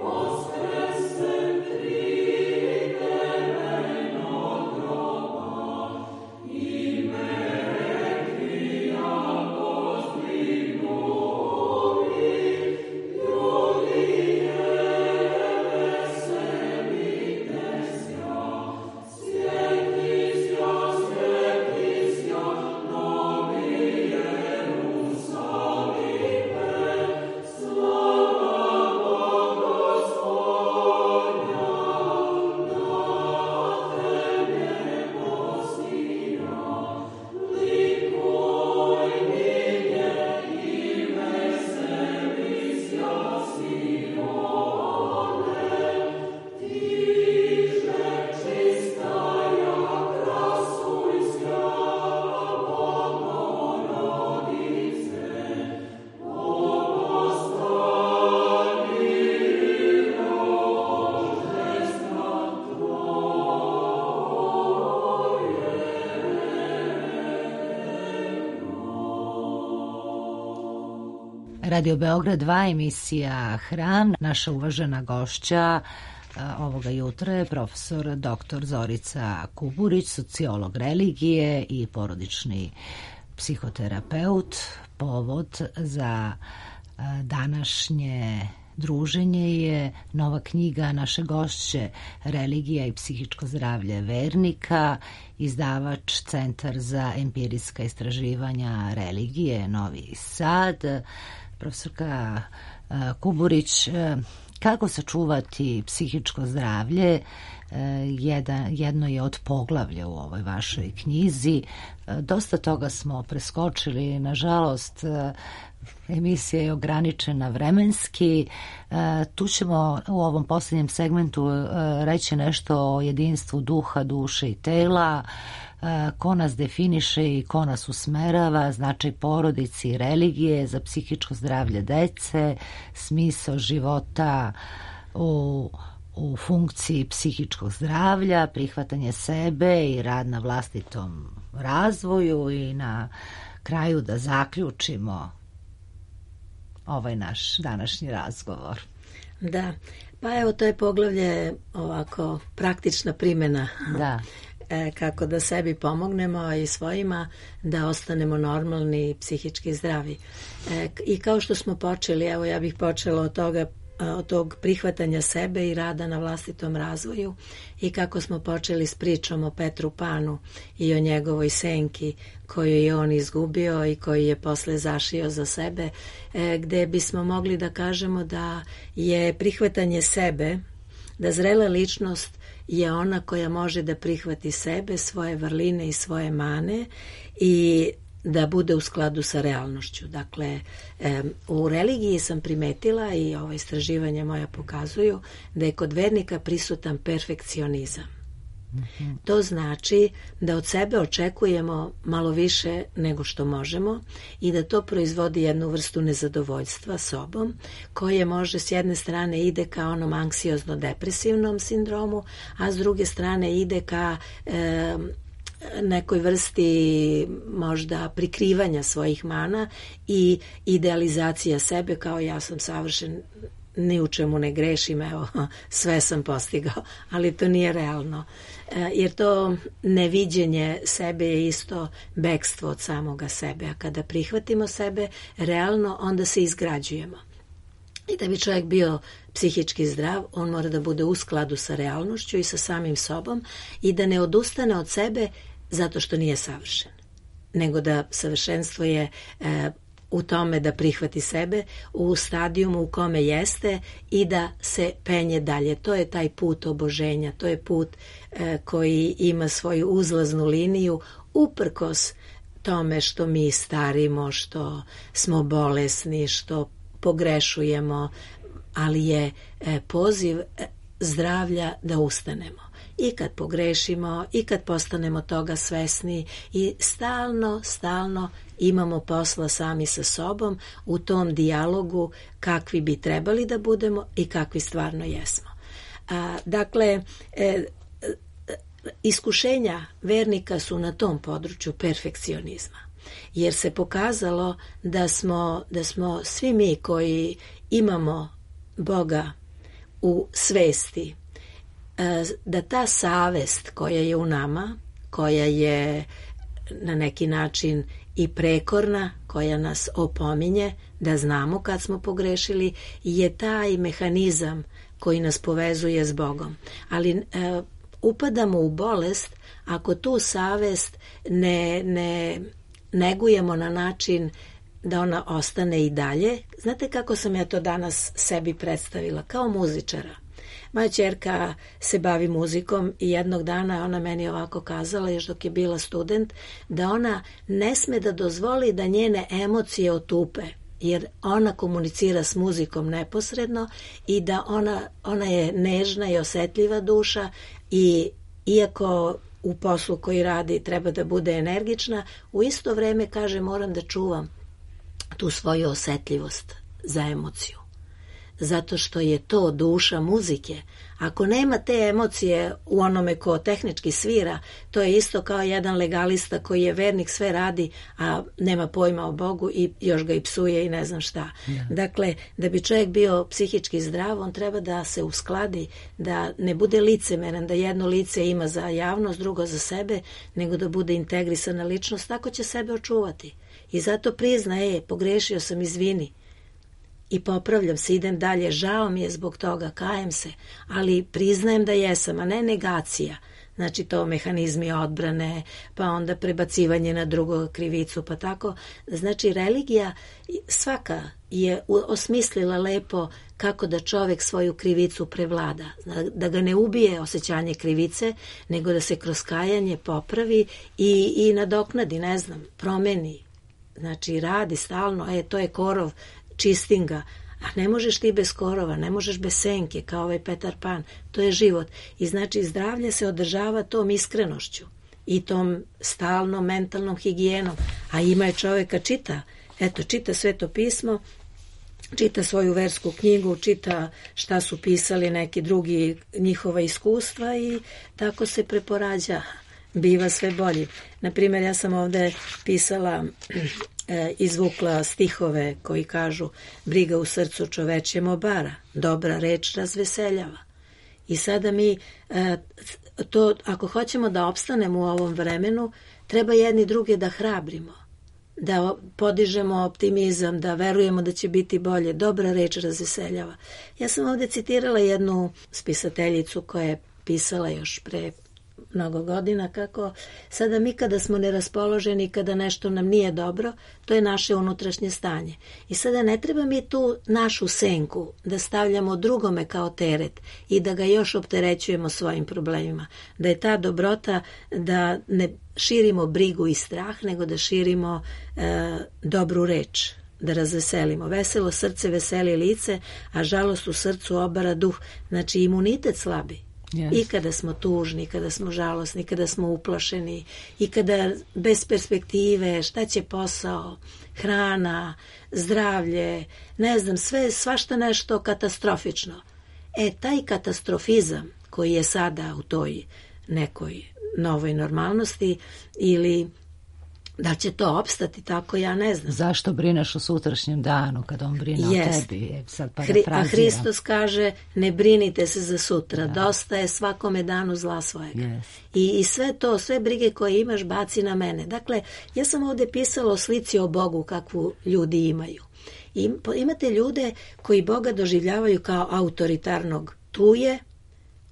Speaker 5: Ostres sem trite
Speaker 1: Radio Beograd dva, emisija Hram. Naša uvažena gošća ovoga jutra je profesor doktor Zorica Kuburić, sociolog religije i porodični psihoterapeut. Povod za današnje druženje je nova knjiga naše gošće Religija i psihičko zdravlje vernika, izdavač Centar za empirijska istraživanja religije Novi Sad. Profesorka Kuburić, kako sačuvati psihičko zdravlje? Jedan, jedno je od poglavlja u ovoj vašoj knjizi. Dosta toga smo preskočili, nažalost. Emisija je ograničena vremenski. Tu ćemo u ovom posljednjem segmentu reći nešto o jedinstvu duha, duše i tela, ko nas definiše i ko nas usmerava, značaj porodici i religije za psihičko zdravlje dece, smisao života u, u funkciji psihičkog zdravlja, prihvatanje sebe i rad na vlastitom razvoju i na kraju da zaključimo ovaj naš današnji razgovor.
Speaker 4: Da, pa evo to je poglavlje ovako praktična primjena.
Speaker 1: Da.
Speaker 4: E, kako da sebi pomognemo i svojima da ostanemo normalni i psihički zdravi. E, I kao što smo počeli, evo ja bih počela od toga, od tog prihvatanja sebe i rada na vlastitom razvoju i kako smo počeli s pričom o Petru Panu i o njegovoj senki koju je on izgubio i koju je posle zašio za sebe, e, gde bismo mogli da kažemo da je prihvatanje sebe, da zrela ličnost je ona koja može da prihvati sebe, svoje vrline i svoje mane i da bude u skladu sa realnošću. Dakle, u religiji sam primetila i ova istraživanja moja pokazuju da je kod vernika prisutan perfekcionizam. Mm-hmm. To znači da od sebe očekujemo malo više nego što možemo i da to proizvodi jednu vrstu nezadovoljstva sobom koje može s jedne strane ide ka onom anksiozno-depresivnom sindromu, a s druge strane ide ka e, nekoj vrsti možda prikrivanja svojih mana i idealizacija sebe kao ja sam savršen, ni u čemu ne grešim, evo, sve sam postigao, ali to nije realno. E, jer to neviđenje sebe je isto bekstvo od samoga sebe, a kada prihvatimo sebe realno, onda se izgrađujemo. I da bi čovjek bio psihički zdrav, on mora da bude u skladu sa realnošću i sa samim sobom i da ne odustane od sebe zato što nije savršen, nego da savršenstvo je e, u tome da prihvati sebe u stadijumu u kome jeste i da se penje dalje. To je taj put oboženja, to je put e, koji ima svoju uzlaznu liniju uprkos tome što mi starimo, što smo bolesni, što pogrešujemo, ali je e, poziv zdravlja da ustanemo. I kad pogrešimo, i kad postanemo toga svesni i stalno, stalno imamo posla sami sa sobom u tom dijalogu kakvi bi trebali da budemo i kakvi stvarno jesmo. A, dakle, e, iskušenja vernika su na tom području perfekcionizma, jer se pokazalo da smo, da smo svi mi koji imamo Boga u svesti, da ta savest koja je u nama, koja je na neki način i prekorna, koja nas opominje da znamo kad smo pogrešili, je taj mehanizam koji nas povezuje s Bogom. Ali e, upadamo u bolest ako tu savest ne, ne negujemo na način da ona ostane i dalje. Znate kako sam ja to danas sebi predstavila? Kao muzičara. Moja ćerka se bavi muzikom i jednog dana je ona meni ovako kazala, još dok je bila student, da ona ne sme da dozvoli da njene emocije otupe, jer ona komunicira s muzikom neposredno i da ona, ona je nežna i osetljiva duša i iako u poslu koji radi treba da bude energična, u isto vreme kaže moram da čuvam tu svoju osetljivost za emociju. zato što je to duša muzike. Ako nema te emocije u onome ko tehnički svira, to je isto kao jedan legalista koji je vernik, sve radi, a nema pojma o Bogu i još ga i psuje i ne znam šta. Ja. Dakle, da bi čovjek bio psihički zdrav, on treba da se uskladi, da ne bude licemeran, da jedno lice ima za javnost, drugo za sebe, nego da bude integrisana ličnost, tako će sebe očuvati. I zato prizna, e, pogrešio sam, izvini. I popravljam se, idem dalje, žao mi je zbog toga, kajem se, ali priznajem da jesam, a ne negacija. Znači to mehanizmi odbrane, pa onda prebacivanje na drugog krivicu, pa tako. Znači religija svaka je osmislila lepo kako da čovjek svoju krivicu prevlada, da ga ne ubije osjećanje krivice, nego da se kroz kajanje popravi i, i nadoknadi, ne znam, promeni. Znači radi stalno, e, to je korov, čistim ga, a ne možeš ti bez korova, ne možeš bez senke, kao ovaj Petar Pan, to je život. I znači zdravlje se održava tom iskrenošću i tom stalnom mentalnom higijenom, a ima je čovjeka čita, eto, čita Sveto pismo, čita svoju versku knjigu, čita šta su pisali neki drugi njihova iskustva i tako se preporađa, biva sve bolji. Naprimjer, ja sam ovdje pisala, e, izvukla stihove koji kažu: briga u srcu čovečjem obara, dobra reč razveseljava. I sada mi, e, to, ako hoćemo da opstanemo u ovom vremenu, treba jedni druge da hrabrimo, da podižemo optimizam, da verujemo da će biti bolje. Dobra reč razveseljava. Ja sam ovdje citirala jednu spisateljicu koja je pisala još pre mnogo godina, kako sada mi kada smo neraspoloženi, kada nešto nam nije dobro, to je naše unutrašnje stanje. I sada ne treba mi tu našu senku da stavljamo drugome kao teret i da ga još opterećujemo svojim problemima. Da je ta dobrota da ne širimo brigu i strah, nego da širimo e, dobru reč, da razveselimo. Veselo srce veseli lice, a žalost u srcu obara duh. Znači imunitet slabi. Yes. I kada smo tužni, kada smo žalosni, kada smo uplašeni, i kada bez perspektive, šta će posao, hrana, zdravlje, ne znam, sve, svašta nešto katastrofično. E, taj katastrofizam koji je sada u toj nekoj novoj normalnosti, ili da će to opstati tako, ja ne znam.
Speaker 1: Zašto brineš o sutrašnjem danu kad on brine yes. o tebi? Je, sad
Speaker 4: a Hristos kaže: ne brinite se za sutra, da. Dosta je svakome danu zla svojega. Yes. I, I sve to, sve brige koje imaš baci na mene. Dakle, ja sam ovdje pisala o slici o Bogu kakvu ljudi imaju. I, imate ljude koji Boga doživljavaju kao autoritarnog. Tu je,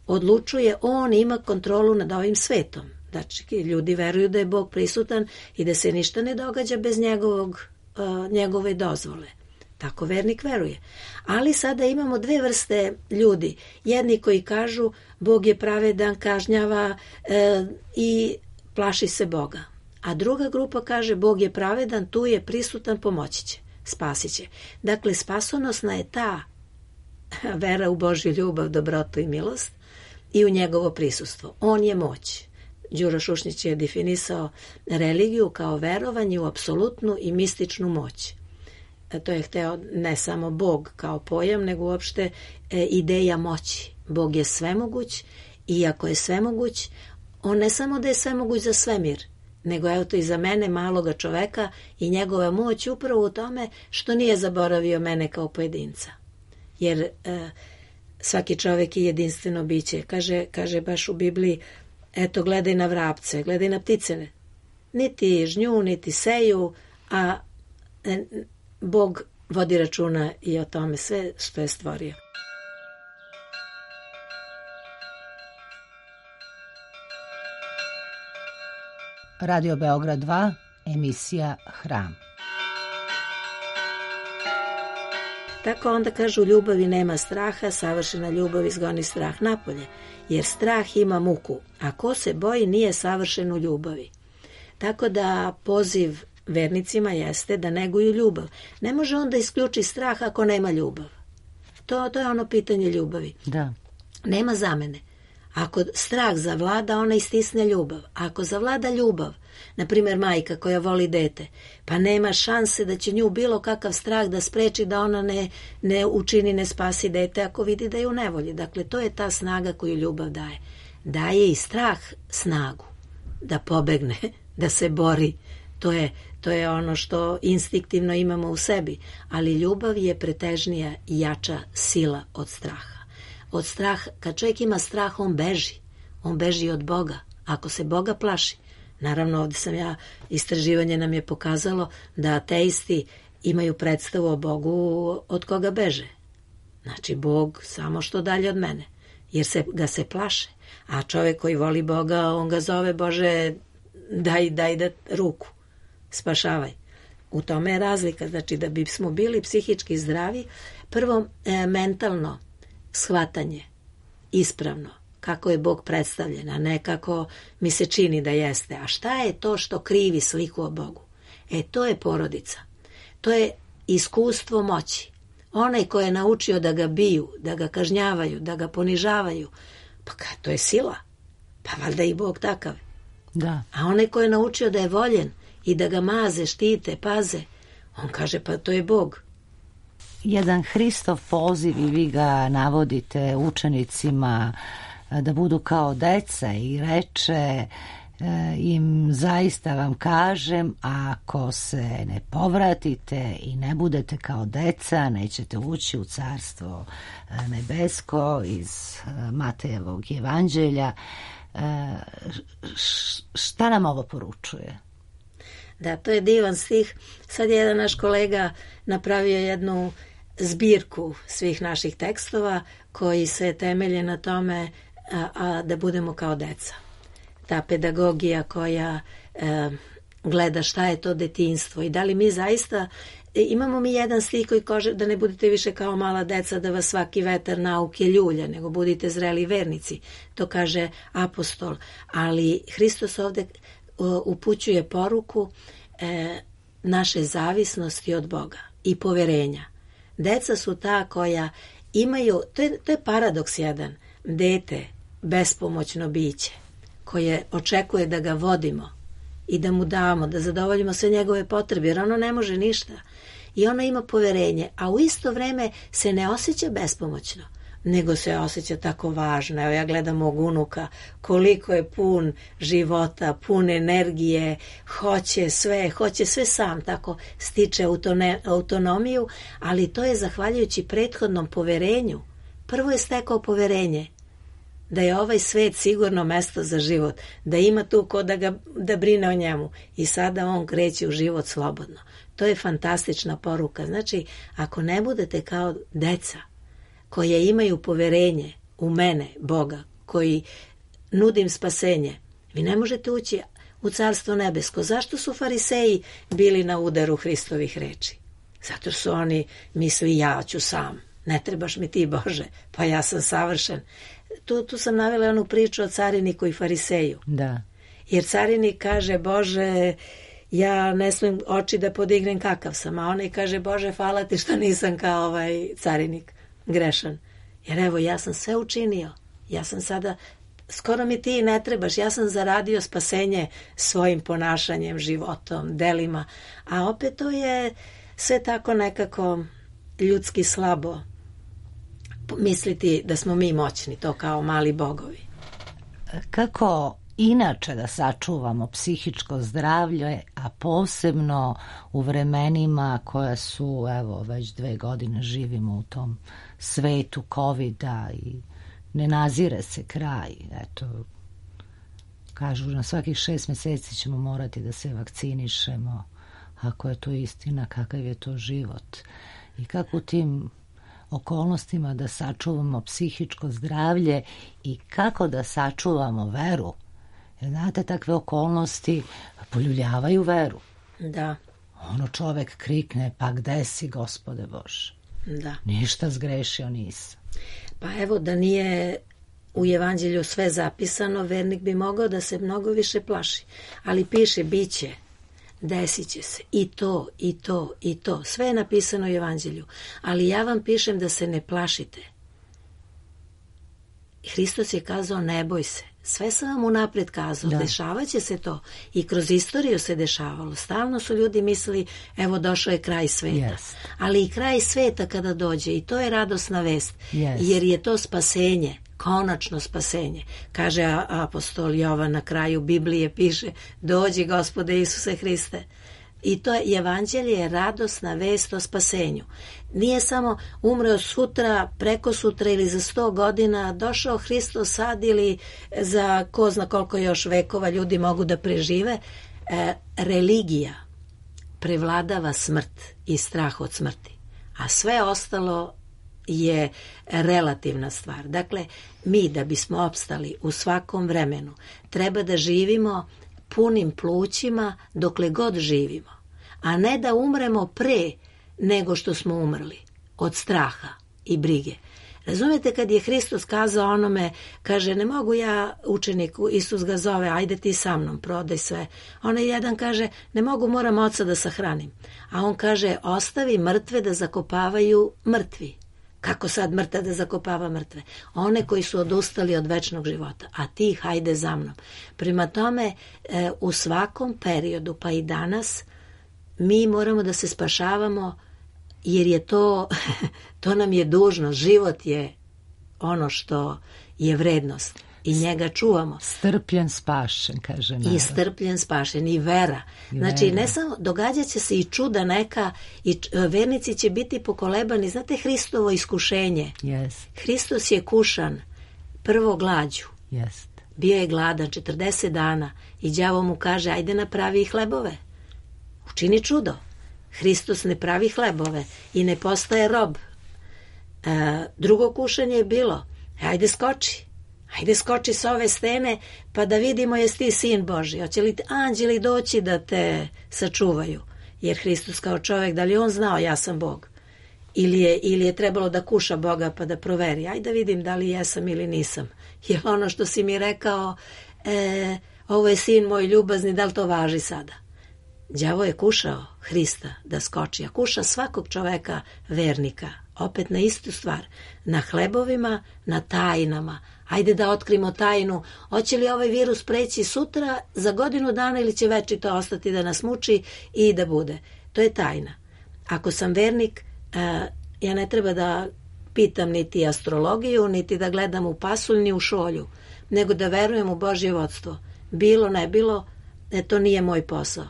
Speaker 4: odlučuje, on ima kontrolu nad ovim svetom. Znači, ljudi veruju da je Bog prisutan i da se ništa ne događa bez njegovog, uh, njegove dozvole. Tako vernik veruje. Ali sada imamo dve vrste ljudi. Jedni koji kažu Bog je pravedan, kažnjava uh, i plaši se Boga. A druga grupa kaže Bog je pravedan, tu je prisutan, pomoći će, spasit će. Dakle, spasonosna je ta vera u Božju ljubav, dobrotu i milost i u njegovo prisustvo. On je moć. Đuro Šušnjić je definisao religiju kao verovanje u apsolutnu i mističnu moć. To je hteo ne samo Bog kao pojam, nego uopšte e, ideja moći. Bog je svemoguć i ako je svemoguć, on ne samo da je svemoguć za svemir, nego evo to i za mene, maloga čoveka, i njegova moć upravo u tome što nije zaboravio mene kao pojedinca. Jer e, svaki čovek je jedinstveno biće. Kaže, kaže baš u Bibliji: eto, gledaj na vrapce, gledaj na ptice. Niti žnju, niti seju, a Bog vodi računa i o tome sve što je stvorio.
Speaker 1: Radio Beograd dva, emisija Hram.
Speaker 4: Tako onda kažu: ljubavi nema straha, savršena ljubav izgoni strah napolje, jer strah ima muku, a ko se boji nije savršen u ljubavi. Tako da poziv vernicima jeste da neguju ljubav. Ne može on da isključi strah ako nema ljubav. To, to je ono pitanje ljubavi.
Speaker 1: Da.
Speaker 4: Nema zamene. Ako strah zavlada, ona istisne ljubav. Ako zavlada ljubav, na primjer majka koja voli dete, pa nema šanse da će nju bilo kakav strah da spreči da ona ne, ne učini, ne spasi dete ako vidi da je u nevolji. Dakle, to je ta snaga koju ljubav daje. Daje i strah snagu da pobegne, da se bori. To je, to je ono što instinktivno imamo u sebi, ali ljubav je pretežnija i jača sila od straha. Od straha, kad čovjek ima strah, on beži. On beži od Boga. Ako se Boga plaši, naravno ovdje sam ja, istraživanje nam je pokazalo da ateisti imaju predstavu o Bogu od koga beže. Znači, Bog samo što dalje od mene, jer se, ga se plaše. A čovjek koji voli Boga, on ga zove, Bože, daj, daj da ruku, spašavaj. U tome je razlika. Znači, da bismo bili psihički zdravi, prvo e, mentalno shvatanje, ispravno, kako je Bog predstavljen, a ne kako mi se čini da jeste. A šta je to što krivi sliku o Bogu? E, to je porodica. To je iskustvo moći. Onaj ko je naučio da ga biju, da ga kažnjavaju, da ga ponižavaju, pa ka, to je sila. Pa valjda i Bog takav.
Speaker 1: Da.
Speaker 4: A onaj ko je naučio da je voljen i da ga maze, štite, paze, on kaže pa to je Bog.
Speaker 1: Jedan Hristov poziv i vi ga navodite učenicima da budu kao deca i reče im zaista vam kažem, ako se ne povratite i ne budete kao deca, nećete ući u carstvo nebesko iz Matejevog evanđelja. Šta nam ovo poručuje?
Speaker 4: Da, to je divan stih. Sad je jedan naš kolega napravio jednu zbirku svih naših tekstova koji se temelje na tome a, a, da budemo kao deca. Ta pedagogija koja e, gleda šta je to detinjstvo i da li mi zaista e, imamo mi jedan stih koji kaže da ne budete više kao mala deca, da vas svaki vetar nauke ljulja, nego budite zreli vernici. To kaže apostol. Ali Hristos ovdje o, upućuje poruku e, naše zavisnosti od Boga i poverenja. Deca su ta koja imaju, to je, to je paradoks jedan, dete, bespomoćno biće, koje očekuje da ga vodimo i da mu damo, da zadovoljimo sve njegove potrebe, jer ono ne može ništa. I ono ima poverenje, a u isto vreme se ne osjeća bespomoćno, nego se osjeća tako važno. Evo ja gledam mog unuka, koliko je pun života, pun energije, hoće sve, hoće sve sam, tako stiče autone, autonomiju, ali to je zahvaljujući prethodnom poverenju. Prvo je stekao poverenje da je ovaj svet sigurno mesto za život, da ima tu ko da, ga, da brine o njemu i sada on kreće u život slobodno. To je fantastična poruka. Znači, ako ne budete kao deca koje imaju poverenje u mene, Boga, koji nudim spasenje, vi ne možete ući u carstvo nebesko. Zašto su fariseji bili na udaru Hristovih reči? Zato su oni misli ja ću sam, ne trebaš mi ti Bože, pa ja sam savršen. Tu, tu sam navela onu priču o cariniku i fariseju.
Speaker 1: Da.
Speaker 4: Jer carinik kaže, Bože, ja ne smijem oči da podignem kakav sam, a onaj kaže, Bože, hvala ti što nisam kao ovaj carinik, grešan. Jer evo, ja sam sve učinio, ja sam sada, skoro mi ti ne trebaš, ja sam zaradio spasenje svojim ponašanjem, životom, delima, a opet to je sve tako nekako ljudski slabo misliti da smo mi moćni, to kao mali bogovi.
Speaker 1: Kako inače da sačuvamo psihičko zdravlje, a posebno u vremenima koja su, evo, već dve godine živimo u tom svetu covida i ne nazire se kraj. Eto, kažu na svakih šest mjeseci ćemo morati da se vakcinišemo. Ako je to istina, kakav je to život? I kako u tim okolnostima da sačuvamo psihičko zdravlje i kako da sačuvamo veru? Jer znate, takve okolnosti poljuljavaju veru.
Speaker 4: Da.
Speaker 1: Ono čovek krikne, pa gde si, Gospode Bože?
Speaker 4: Da.
Speaker 1: Ništa zgrešio nisam.
Speaker 4: Pa evo, da nije u evanđelju sve zapisano, vernik bi mogao da se mnogo više plaši. Ali piše, bit će, desit će se, i to, i to, i to. Sve je napisano u evanđelju. Ali ja vam pišem da se ne plašite. Hristos je kazao ne boj se. Sve sam vam unaprijed kazao, da. Dešavat će se to. I kroz istoriju se dešavalo. Stalno su ljudi mislili, evo došao je kraj sveta. Yes. Ali i kraj sveta kada dođe, i to je radosna vest, yes. Jer je to spasenje, konačno spasenje. Kaže apostol Jovan na kraju Biblije, piše, dođi Gospode Isuse Hriste. I to je evanđelje, je radosna vest o spasenju. Nije samo umreo sutra, preko sutra ili za sto godina, došao Hristos sad ili za ko zna koliko još vekova ljudi mogu da prežive. E, religija prevladava smrt i strah od smrti, a sve ostalo je relativna stvar. Dakle, mi da bismo opstali u svakom vremenu, treba da živimo punim plućima dokle god živimo, a ne da umremo pre nego što smo umrli od straha i brige. Razumete, kad je Hristos kazao onome, kaže, ne mogu ja učeniku, Isus ga zove, ajde ti sa mnom, prodaj sve. Onaj jedan kaže, ne mogu, moram oca da sahranim. A on kaže, ostavi mrtve da zakopavaju mrtvi. Kako sad mrtav da zakopava mrtve? One koji su odustali od večnog života, a ti hajde za mnom. Prema tome, e, u svakom periodu, pa i danas, mi moramo da se spašavamo, jer je to, to nam je dužnost. Život je ono što je vrednost i njega čuvamo.
Speaker 1: Strpljen, spašen, kaže narod.
Speaker 4: I strpljen, spašen, i vera. I znači, vera. Ne samo, događat će se i čuda neka, i vernici će biti pokolebani. Znate, Hristovo iskušenje.
Speaker 1: Yes.
Speaker 4: Hristos je kušan prvo glađu.
Speaker 1: Yes.
Speaker 4: Bio je gladan četrdeset dana i đavo mu kaže, ajde napravi hlebove. Učini čudo. Hristos ne pravi hlebove i ne postaje rob. E, drugo kušanje je bilo, ajde skoči. Ajde skoči s ove stene pa da vidimo jesi ti sin Božji. Hoće li anđeli doći da te sačuvaju? Jer Hristos kao čovjek, da li on znao ja sam Bog? Ili je, ili je trebalo da kuša Boga pa da proveri? Ajde da vidim da li jesam ili nisam. Jer ono što si mi rekao, e, ovo je sin moj ljubazni, da li to važi sada? Đavo je kušao Hrista da skoči, a kuša svakog čoveka vernika, opet na istu stvar, na hlebovima, na tajnama. Ajde da otkrimo tajnu, hoće li ovaj virus preći sutra, za godinu dana ili će večito ostati da nas muči i da bude. To je tajna. Ako sam vernik, ja ne treba da pitam niti astrologiju, niti da gledam u pasulj, ni u šolju, nego da verujem u Božje vodstvo. Bilo, ne bilo, e, to nije moj posao.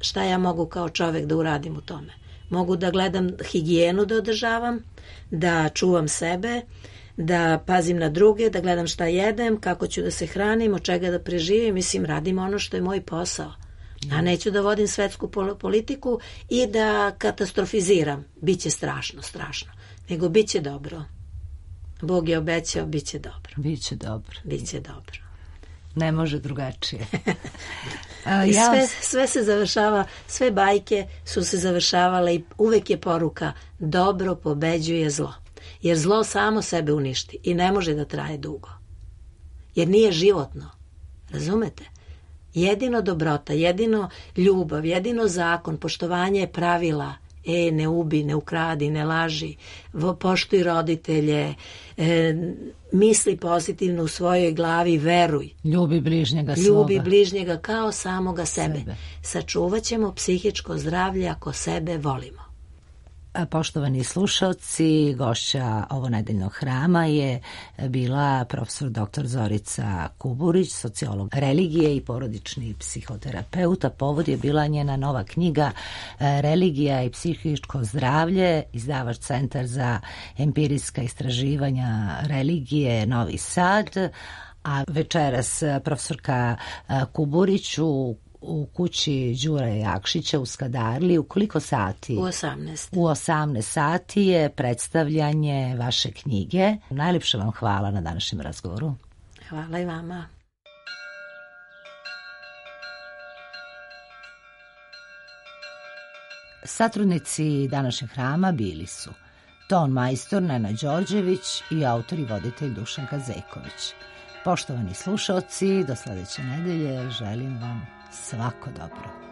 Speaker 4: Šta ja mogu kao čovjek da uradim u tome? Mogu da gledam higijenu da održavam, da čuvam sebe, da pazim na druge, da gledam šta jedem, kako ću da se hranim, od čega da preživim. Mislim, radim ono što je moj posao. A neću da vodim svetsku politiku i da katastrofiziram. Biće strašno, strašno. Nego biće dobro. Bog je obećao, biće dobro.
Speaker 1: Biće dobro.
Speaker 4: Biće dobro.
Speaker 1: Ne može drugačije.
Speaker 4: A, I sve, sve se završava, sve bajke su se završavale i uvek je poruka dobro pobeđuje zlo. Jer zlo samo sebe uništi i ne može da traje dugo. Jer nije životno. Razumete? Jedino dobrota, jedino ljubav, jedino zakon, poštovanje pravila. E, ne ubi, ne ukradi, ne laži, poštuj roditelje, e, misli pozitivno u svojoj glavi, veruj.
Speaker 1: Ljubi bližnjega svoga.
Speaker 4: Ljubi bližnjega kao samoga sebe. sebe. Sačuvat ćemo psihičko zdravlje ako sebe volimo.
Speaker 1: Poštovani slušalci, gošća ovonedeljnog hrama je bila profesor doktor Zorica Kuburić, sociolog religije i porodični psihoterapeuta. Povod je bila njena nova knjiga Religija i psihičko zdravlje, izdavač Centar za empirijska istraživanja religije Novi Sad, a večeras profesorka Kuburić u u kući Đure Jakšića u Skadarli. U koliko sati?
Speaker 4: U osamnaest.
Speaker 1: U osamnaest sati je predstavljanje vaše knjige. Najljepše vam hvala na današnjem razgovoru.
Speaker 4: Hvala i vama.
Speaker 1: Satrudnici današnjeg hrama bili su ton majstor Nena Đorđević i autor i voditelj Dušan Kazejković. Poštovani slušaoci, do sledeće nedelje želim vam svako dobro.